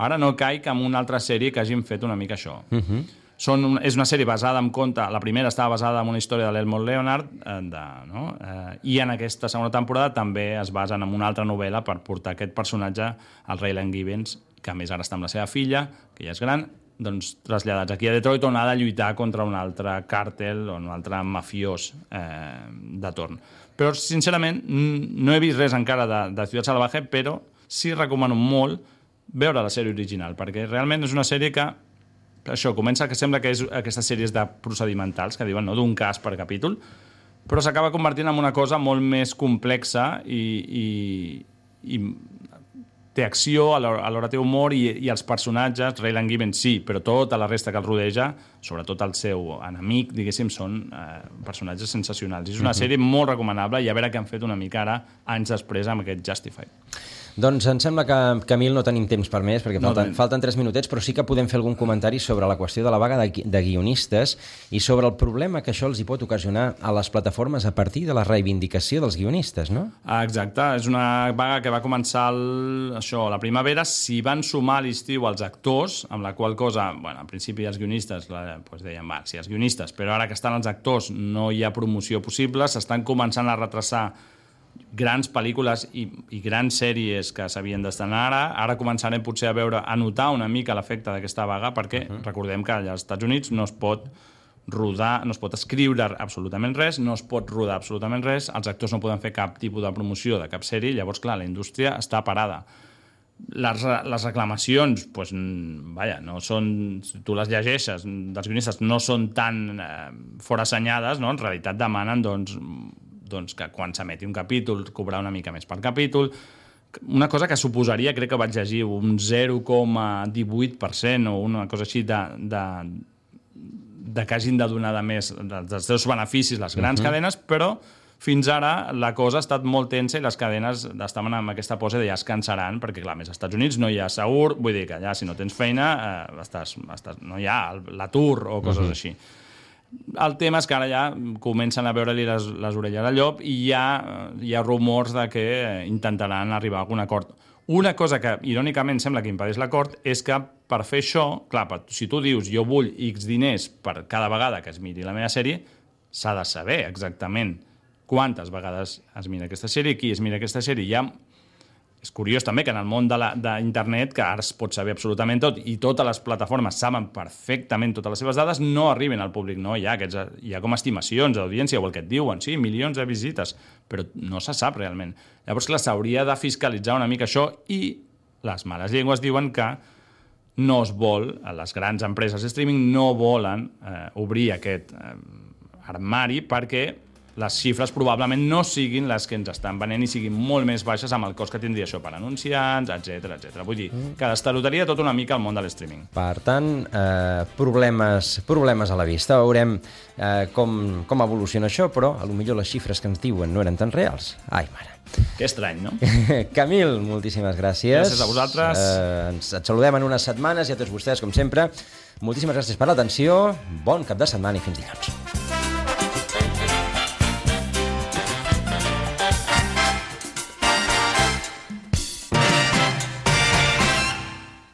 ara no caic en una altra sèrie que hagin fet una mica això. Uh-huh. Són, és una sèrie basada en conte, la primera estava basada en una història de l'Elmore Leonard, eh, de, no? eh, i en aquesta segona temporada també es basen en una altra novel·la per portar aquest personatge, el Raylan Givens, que a més ara està amb la seva filla, que ja és gran, doncs, traslladats aquí a Detroit, on ha de lluitar contra un altre càrtel o un altre mafiós eh, de torn. Però, sincerament, no he vist res encara de, de Ciudad Salvaje, però sí recomano molt veure la sèrie original, perquè realment és una sèrie que, això, comença que sembla que és aquestes sèries de procedimentals, que diuen, no?, d'un cas per capítol, però s'acaba convertint en una cosa molt més complexa i, i, i té acció, alhora té humor, i, i els personatges, Raylan Givens sí, però tota la resta que el rodeja, sobretot el seu enemic, diguéssim, són eh, personatges sensacionals. És una uh-huh. sèrie molt recomanable, i a veure què han fet una mica ara, anys després, amb aquest Justified. Doncs em sembla que, Camil, no tenim temps per més, perquè falten, no falten tres minutets, però sí que podem fer algun comentari sobre la qüestió de la vaga de, de guionistes i sobre el problema que això els hi pot ocasionar a les plataformes a partir de la reivindicació dels guionistes, no? Ah, exacte, és una vaga que va començar el, això, la primavera, s'hi van sumar a l'estiu els actors, amb la qual cosa, bueno, al principi els guionistes, la, doncs deien, va, sí, els guionistes, però ara que estan els actors no hi ha promoció possible, s'estan començant a retrasar grans pel·lícules i, i grans sèries que s'havien d'estrenar ara. Ara començarem potser a veure, a notar una mica l'efecte d'aquesta vaga, perquè uh-huh. recordem que allà als Estats Units no es pot rodar, no es pot escriure absolutament res, no es pot rodar absolutament res, els actors no poden fer cap tipus de promoció de cap sèrie, llavors, clar, la indústria està parada. Les, les reclamacions, pues, vaja, no són, si tu les llegeixes, dels guionistes no són tan eh, forassenyades, no? En realitat demanen, doncs, doncs, que quan s'emeti un capítol cobrar una mica més per capítol. Una cosa que suposaria, crec que vaig llegir, un zero coma divuit per cent o una cosa així de, de, de que hagin de donar de més dels seus beneficis les grans uh-huh. cadenes, però fins ara la cosa ha estat molt tensa i les cadenes estaven amb aquesta pose de ja es cansaran, perquè clar, més als Estats Units no hi ha segur, vull dir que ja si no tens feina eh, estàs, estàs, no hi ha l'atur o coses uh-huh. així. El tema és que ara ja comencen a veure-li les, les orelles al llop i hi ha, hi ha rumors de que intentaran arribar a algun acord. Una cosa que, irònicament, sembla que impedeix l'acord és que per fer això, clar, si tu dius jo vull X diners per cada vegada que es miri la meva sèrie, s'ha de saber exactament quantes vegades es mira aquesta sèrie, qui es mira aquesta sèrie. Ja és curiós també que en el món d'internet, que ara es pot saber absolutament tot, i totes les plataformes saben perfectament totes les seves dades, no arriben al públic, no? Hi ha, aquests, hi ha com estimacions d'audiència, o el que et diuen, sí, milions de visites, però no se sap realment. Llavors, clar, s'hauria de fiscalitzar una mica això, i les males llengües diuen que no es vol, les grans empreses de streaming no volen eh, obrir aquest eh, armari perquè les xifres probablement no siguin les que ens estan venent i siguin molt més baixes amb el cost que tindria això per anunciants, etcètera, etcètera. Vull dir, que destarotaria tot una mica el món de l'streaming. Per tant, eh, problemes, problemes a la vista. Veurem eh, com, com evoluciona això, però a lo millor les xifres que ens diuen no eren tan reals. Ai, mare. Que estrany, no? Camil, moltíssimes gràcies. Gràcies a vosaltres. Eh, ens et saludem en unes setmanes i a tots vostès, com sempre. Moltíssimes gràcies per l'atenció. Bon cap de setmana i fins dilluns.